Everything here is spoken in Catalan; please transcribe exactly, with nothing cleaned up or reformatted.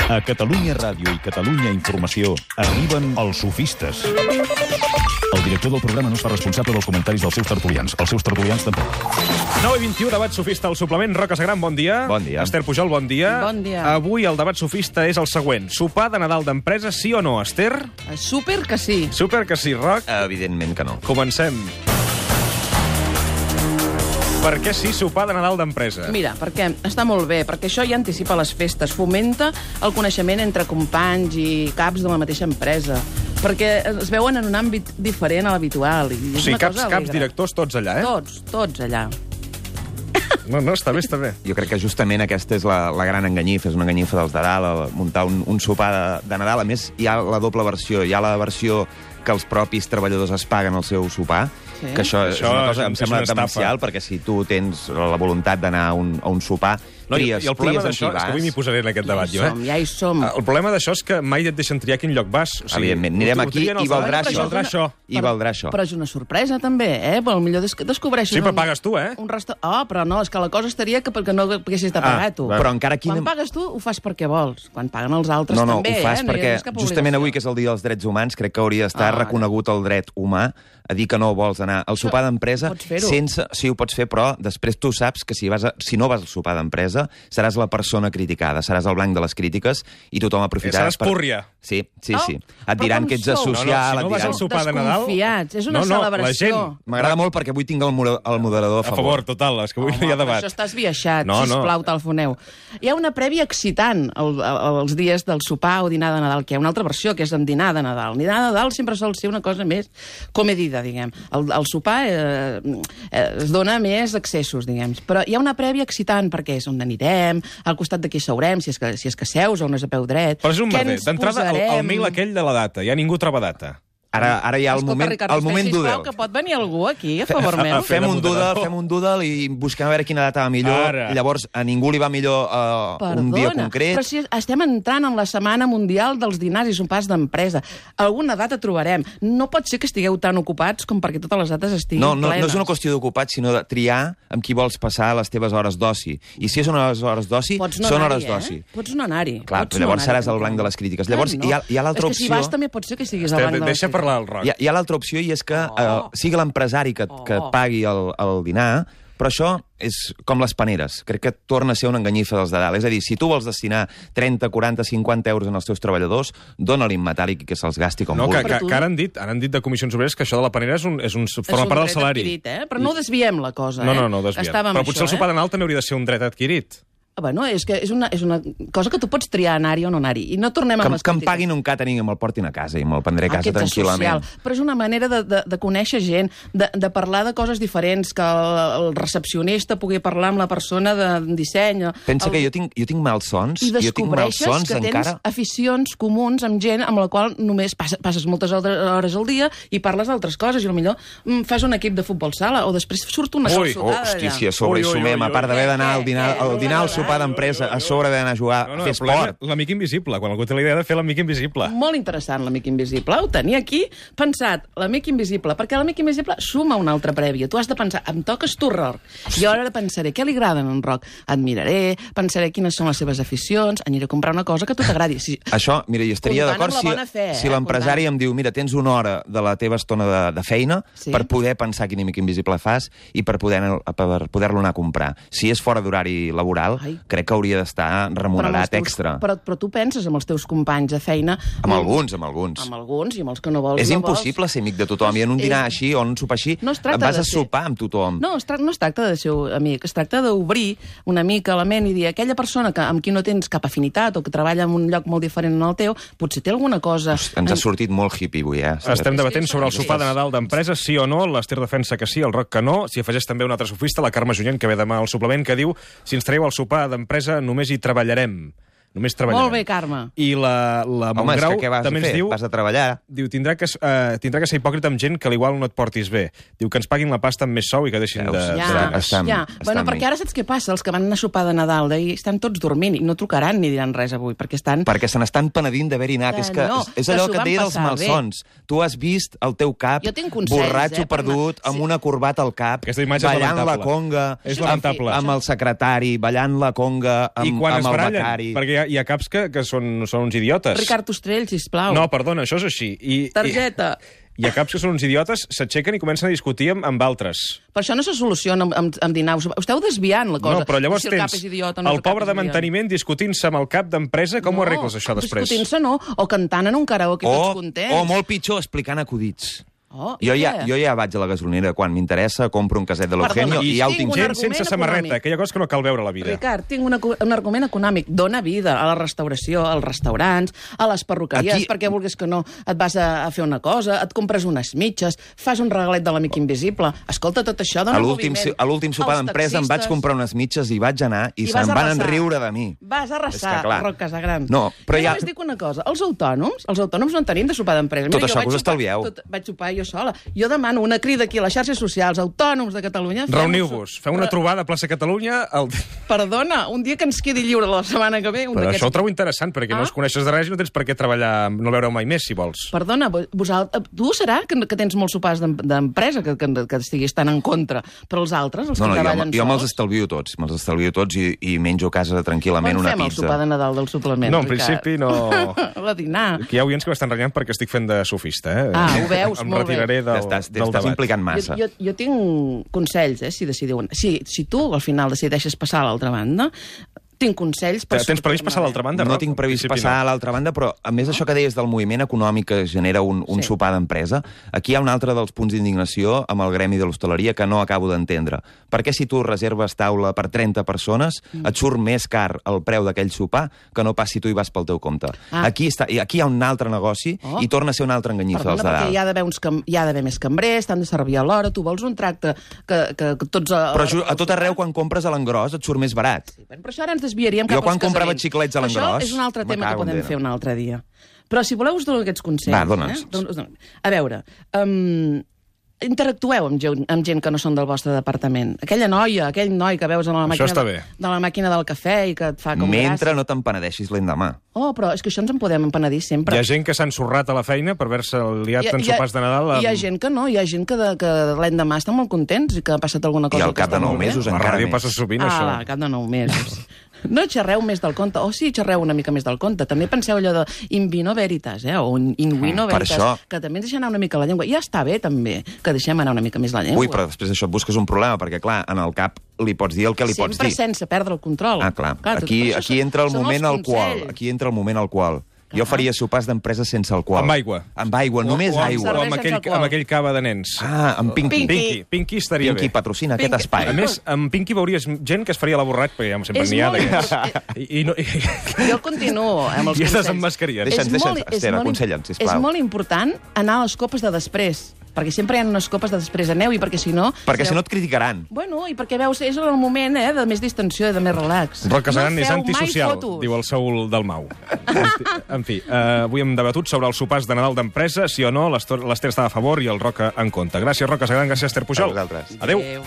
A Catalunya Ràdio i Catalunya Informació arriben els sofistes. El director del programa no es fa responsable dels comentaris dels seus tertulians. Els seus tertulians tampoc. nou i vint-i-u, debat sofista al suplement. Roca Sagran, bon dia. Bon dia. Esther Pujol, bon dia. Bon dia. Avui el debat sofista és el següent. Sopar de Nadal d'empresa, sí o no, Esther? Súper que sí. Super que sí, Roc. Evidentment que no. Comencem. Per què sí sopar de Nadal d'empresa? Mira, perquè està molt bé, perquè això ja anticipa les festes, fomenta el coneixement entre companys i caps de la mateixa empresa, perquè es veuen en un àmbit diferent a l'habitual. O sigui, caps, caps directors, tots allà, eh? Tots, tots allà. No, no, està bé, està bé. Jo crec que justament aquesta és la, la gran enganyifa, és una enganyifa dels de dalt, el muntar un, un sopar de, de Nadal. A més, hi ha la doble versió. Hi ha la versió que els propis treballadors es paguen el seu sopar, Sí. que això, Això és una cosa és- que em és sembla una estafa. demencial, perquè si tu tens la voluntat d'anar a un, a un sopar, No, i, tries, I el problema tries amb d'això, qui és que avui m'hi vas. posaré en aquest debat, Ja hi jo, som, eh? ja hi som. El problema d'això és que mai et deixen triar a quin lloc vas. O sigui, Evidentment, anirem ho- ho aquí trien els i valdrà treballadors, això. valdrà això. I valdrà això. Però és una sorpresa, també, eh? Potser des descobreixes... Sí, però un- pagues tu, eh? Un resta... Oh, però no, és que la cosa estaria que perquè no haguessis de pagar, Ah, tu. va. Però encara quina... Quan pagues tu, ho fas perquè vols. Quan paguen els altres, No, no, també, ho fas eh? No hi perquè ha cap justament obligació. avui, que és el Dia dels Drets Humans, crec que hauria d'estar Ah, reconegut el dret humà a dir que no vols anar al sopar d'empresa pots fer-ho. sense... Sí, ho pots fer, però després tu saps que si, vas a... si no vas al sopar d'empresa seràs la persona criticada, seràs el blanc de les crítiques i tothom aprofitarà... Seràs púrria. Sí, sí, Oh, sí. Et però diran com que ets sou? asocial... No, no, si no et vas diran... al sopar de Nadal... Desconfiats, és una no, no, celebració. La gent... M'agrada molt perquè avui tinc el, mora- el moderador a A favor. favor, total, és que avui no hi ha Home, però debat. això està esbiaixat, No, no. sisplau, telefoneu. Hi ha una prèvia excitant el, el, els dies del sopar o dinar de Nadal, que hi ha una altra versió, que és en dinar de Nadal. Dinar de Nadal sempre sol ser una cosa més comedida, diguem. El, el sopar eh, eh, es dona més accessos, diguem. Però hi ha una prèvia excitant, perquè és on anirem, al costat de qui seurem, si és que, si és que seus o no és a peu dret. Però és un Què merder. ens D'entrada, el, el posarem? mail aquell de la data. Ja ningú troba data. Ara, ara hi ha el Escolta, moment, Ricard, el moment sisplau, doodle. que pot venir algú aquí a favor meu. Fer Fem de un doodle, moderador. fem un doodle i busquem a veure quina data va millor. Ara. Llavors, a ningú li va millor uh, Perdona, un dia concret. però si estem entrant en la Setmana Mundial dels Dinars i Sopars d'Empresa. Alguna data trobarem. No pot ser que estigueu tan ocupats com perquè totes les dates estiguin No, no, plenes. no és una qüestió d'ocupat, sinó de triar amb qui vols passar les teves hores d'oci. I si són hores, hores d'oci, Pots no són anar-hi, hores d'oci. Eh? Pots no anar-hi. Clar, Pots però llavors no anar-hi, seràs el blanc de les crítiques. Llavors, Ah, hi ha- hi ha l'altra És que si opció- vas també pot ser que siguis el Esther, blanc de les deixa parlar el crítiques. Roc. Hi ha, hi ha l'altra opció i és que Oh. eh, sigui l'empresari que, et- que et Oh. pagui el, el dinar, però això és com les paneres. Crec que torna a ser una enganyifa dels de dalt. És a dir, si tu vols destinar trenta, quaranta, cinquanta euros en els teus treballadors, dona-li en metàl·lic i que se'ls gasti com No, que, vulgui. que, tu- que ara han dit, ara han dit de Comissions Obreres que això de la panera és un, és un, És forma un part del dret salari. adquirit, eh? Però no desviem la cosa, No, eh? no, no, desviem. Estàvem Però amb potser el això, sopar eh? de Nadal també hauria de ser un dret adquirit. Bueno, és que és una, és una cosa que tu pots triar anar-hi o no anar-hi. I no tornem Que, a les que em crítiques. paguin un catering i me'l portin a casa i me'l prendré a casa Aquest tranquil·lament. social. Però és una manera de, de, de conèixer gent, de, de parlar de coses diferents, que el, el recepcionista pugui parlar amb la persona de disseny. Pensa el... que jo tinc, jo tinc malsons, I jo tinc descobreixes malsons que tens encara... aficions comuns amb gent amb la qual només passes, passes moltes hores al dia i parles d'altres coses, i potser mm, fas un equip de futbol sala, o després surt una Ui, Oh, calçotada hosti, allà. si a sobre Ui, hi ui, sumem, ui, a part ui. d'haver d'anar al Què, dinar, què? al dinar al sopar d'empresa, a sobre d'hanar a jugar, No, a no, fer el problema, esport. l'amic invisible, quan algú té la idea de fer l'amic invisible. Molt interessant, l'amic invisible. Ho tenia aquí pensat, l'amic invisible, perquè l'amic invisible suma una altra prèvia. Tu has de pensar, em toques tu, Roc. Jo ara pensaré què li agrada a en Roc. Admiraré, pensaré quines són les seves aficions, aniré a comprar una cosa que a tu t'agradi. Si... Això, mira, jo estaria Comptant d'acord amb la si, bona fe, eh? si l'empresari Comptant. em diu, mira, tens una hora de la teva estona de, de feina Sí. per poder pensar quin amic invisible fas i per poder-lo per poder-lo anar a comprar. Si és fora d'horari laboral, Ai. crec que hauria d'estar Però amb els remunerat teus- extra. Però, però tu penses amb els teus companys de feina... Amb alguns, amb alguns. Amb alguns, i amb els que no vols. És no impossible ser amic de tothom. I en un dinar És- així o en un sopar així No es tracta vas de a ser- sopar amb tothom. No, es tra no es tracta de ser amic, es tracta d'obrir una mica la ment i dir aquella persona que, amb qui no tens cap afinitat o que treballa en un lloc molt diferent al teu, potser té alguna cosa... Ens ha sortit molt hippie avui, eh? Estem debatent Sí, sobre el sí, sopar sí. de Nadal d'empresa, sí o no. L'Ester defensa que sí, el Roc que no. S'hi afegeix també un altre sofista, la Carme Junyent, que ve demà al suplement, que diu si ens traieu el sopar d'empresa només hi treballarem. Només treballarem. Molt bé, Carme. I la, la Home, és Montgrau que què vas a també fer? ens diu... Vas a treballar. Diu, tindrà que, uh, tindrà que ser hipòcrita amb gent que l'igual no et portis bé. Diu que ens paguin la pasta amb més sou i que deixin Veus? de... Ja, Està- està amb- ja. està Bueno, amb perquè mi. ara saps què passa? Els que van anar a sopar de Nadal d'ahir estan tots dormint i no trucaran ni diran res avui, perquè estan... Perquè se n'estan penedint d'haver-hi anat. Que És, que, no, és, és que allò s'ho que et van deia dels passar malsons. Tu has vist el teu cap Jo tinc consells, borratxo eh, per perdut, anar- amb sí. una corbata al cap, Aquesta imatge és ballant la lamentable. conga, És amb, lamentable. amb el secretari, ballant la conga amb, I quan amb es el barallen, becari. perquè hi ha, ha, hi ha caps que, que són, són uns idiotes. Ricard Ostrell, sisplau. No, perdona, això és així. I, Targeta. I... Hi ha caps que són uns idiotes, s'aixequen i comencen a discutir amb, amb altres. Per això no se soluciona amb, amb, amb dinar. Us esteu desviant la cosa. No, però llavors si el cap tens és idiota, no el el cap pobre és de idiota. manteniment discutint-se amb el cap d'empresa. Com ho arregles, això, després? Discutint-se no, o cantant en un karaoke O, tots contents. o molt pitjor, explicant acudits. Oh, i Jo ja, què? jo ja vaig a la gasolinera quan m'interessa, compro un caset de l'Eugenio Perdona, i ja ho tinc tinc un fet. Gent argument sense samarreta, econòmic. aquella cosa que no cal veure a la vida. Ricard, tinc una, un argument econòmic. Dóna vida a la restauració, als restaurants, a les perruqueries, Aquí- perquè vulguis que no et vas a, a fer una cosa, et compres unes mitges, fas un regalet de l'amic invisible. Escolta, tot això dona A l'últim moviment. a l'últim sopar Els d'empresa em vaig taxistes. comprar unes mitges i vaig anar i, I se'n vas van arrasar. enriure de mi. Vas És arrasar, que, clar. Roc Casagran. No, però jo ja- només dic una cosa. Els autònoms, els autònoms no en tenim de sopar d'empresa. Tot Mira, això jo vaig que us sopar- estalvieu. Tot, vaig sopar jo sola. Jo demano una crida aquí a les xarxes socials, autònoms de Catalunya. fem un Reuniu-vos, so- feu una Re- trobada a plaça Catalunya. El... Perdona, un dia que ens quedi lliure la setmana que ve... Un Però d'aquests- això ho trobo interessant, perquè Ah? no els coneixes de res i no tens per què treballar, no el veureu mai més, si vols. Perdona, vosaltres, tu serà que, que tens molts sopars d'em- d'empresa que, que, que estiguis tan en contra, però els altres, els No, no, que jo, treballen jo me'ls sols... estalvio tots, me'ls estalvio tots i, i menjo a casa tranquil·lament Quan una fem el pizza. sopar de Nadal del suplement? No, en Ricard? principi no... A dinar. Aquí hi ha oients que m'estan renyant perquè estic fent de sofista, eh? Ah, ho veus, em molt bé. retiraré del, T'estàs del t'estàs debat. implicant massa. Jo, jo, jo tinc consells, eh, si decidiu... Si, si tu al final decideixes passar a l'altra banda, tinc consells per... Tens previst passar a l'altra banda? No Roc? tinc previst En principi passar no. a l'altra banda, però a més això que deies del moviment econòmic que genera un, un Sí. sopar d'empresa, aquí hi ha un altre dels punts d'indignació amb el gremi de l'hostaleria que no acabo d'entendre. Per què si tu reserves taula per trenta persones Mm. et surt més car el preu d'aquell sopar que no pas si tu hi vas pel teu compte? Ah. Aquí, està, i aquí hi ha un altre negoci Oh. i torna a ser una altra enganyifa Perdona, dels de perquè dalt. hi ha d'haver uns cam... hi ha d'haver més cambrers, t'han de servir a l'hora, tu vols un tracte que, que, que tots... A, Però ju- a tot arreu, quan compres a l'engròs, et surt més barat. Sí, però això ara ens desviaríem cap Jo quan als comprava casaments. xiclets a Però l'engròs, Això és un altre me tema que cago en podem Déu. fer un altre dia. Però si voleu us dono aquests consells. Va, dona'ns. Eh? Don- us dono. A veure, um, interactueu amb gent, amb gent que no són del vostre departament. Aquella noia, aquell noi que veus a la Això màquina, està de, bé. de la màquina del cafè i que et fa com Mentre gràcia. no te'n penedeixis l'endemà. Oh, però és que això ens en podem empenedir sempre. Hi ha gent que s'ha ensorrat a la feina per haver-se liat en sopars de Nadal. Amb... Hi ha gent que no, hi ha gent que, de, que l'endemà estan molt contents i que ha passat alguna I cosa. al cap que de està nou molt bé. mesos A la encara ràdio més. passa sovint, Ah, això. va, al cap de nou mesos. No xerreu més del conte. O sí, xerreu una mica més del conte. També penseu allò de in vino veritas, eh? o in vino Mm, per veritas, això- que també ens deixem anar una mica la llengua. Ja està bé, també, que deixem anar una mica més la llengua. Ui, però després d'això et busques un problema, perquè, clar, en el cap li pots dir el que li pots Sempre dir. sense perdre el control. Ah, clar. tot- Aquí, per això aquí són- entra el són moment els alcohol. consells. Aquí entra el moment alcohol. Jo faria sopars d'empresa sense alcohol. Amb aigua. Amb aigua, només o, amb- aigua. O amb Cervesa aquell, sense alcohol. amb aquell cava de nens. Ah, amb Pinky. Pinky. Pinky, Pinky estaria Pinky bé. patrocina aquest Pinky. espai. A més, amb Pinky veuries gent que es faria la borratx, perquè ja sempre És n'hi ha molt d'aquests. import- I, i, no, i, Jo continuo amb els I estàs consells. amb mascarilla. Deixa'ns, És deixa'ns, molt- és Esther, molt im- aconsella'ns, sisplau. És molt important anar a les copes de després, perquè sempre hi ha unes copes de després. Aneu-hi, perquè si no... Perquè si sereu- no et criticaran. Bueno, i perquè veus, és el moment eh, de més distensió i de més relax. Roc Casagran no és feu antisocial, mai fotos. diu el Saúl del Mau. En fi, eh, avui hem debatut sobre els sopars de Nadal d'empresa, sí o no, l'Ester l'Ester estava a favor i el Roc en contra. Gràcies, Roc Casagran, gràcies, Esther Pujol. A vosaltres. Adéu. Adéu.